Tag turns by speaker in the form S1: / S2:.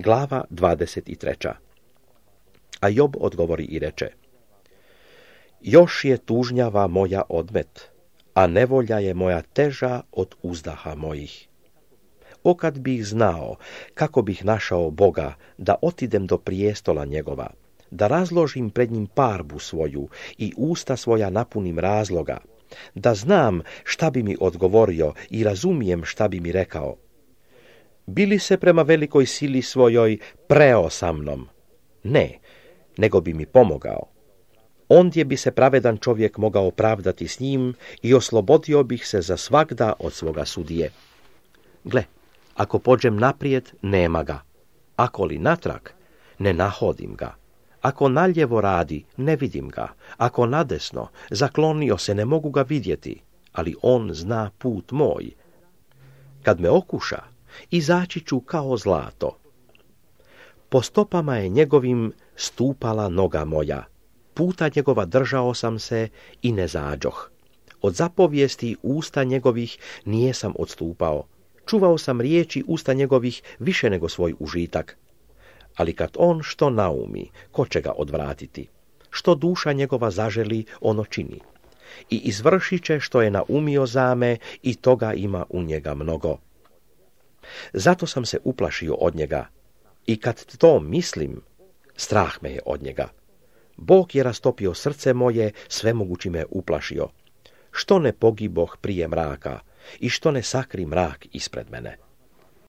S1: Glava 23. A Job odgovori i reče: još je tužnjava moja odmet, a nevolja je moja teža od uzdaha mojih. O kad bih znao kako bih našao Boga, da otidem do prijestola njegova, da razložim pred njim parbu svoju i usta svoja napunim razloga, da znam šta bi mi odgovorio i razumijem šta bi mi rekao. Bili se prema velikoj sili svojoj preo sa mnom? Ne, nego bi mi pomogao. Ondje bi se pravedan čovjek mogao opravdati s njim i oslobodio bih se za svagda od svoga sudije. Gle, ako pođem naprijed, nema ga. Ako li natrag, ne nahodim ga. Ako naljevo radi, ne vidim ga. Ako nadesno, zaklonio se, ne mogu ga vidjeti. Ali on zna put moj. Kad me okuša, izaći ću kao zlato. Po stopama je njegovim stupala noga moja. Puta njegova držao sam se i ne zađoh. Od zapovijesti usta njegovih nijesam odstupao. Čuvao sam riječi usta njegovih više nego svoj užitak. Ali kad on što naumi, ko će ga odvratiti? Što duša njegova zaželi, ono čini. I izvršit će što je naumio zame i toga ima u njega mnogo. Zato sam se uplašio od njega. I kad to mislim, strah me je od njega. Bog je rastopio srce moje, svemogući me uplašio. Što ne pogiboh prije mraka i što ne sakri mrak ispred mene.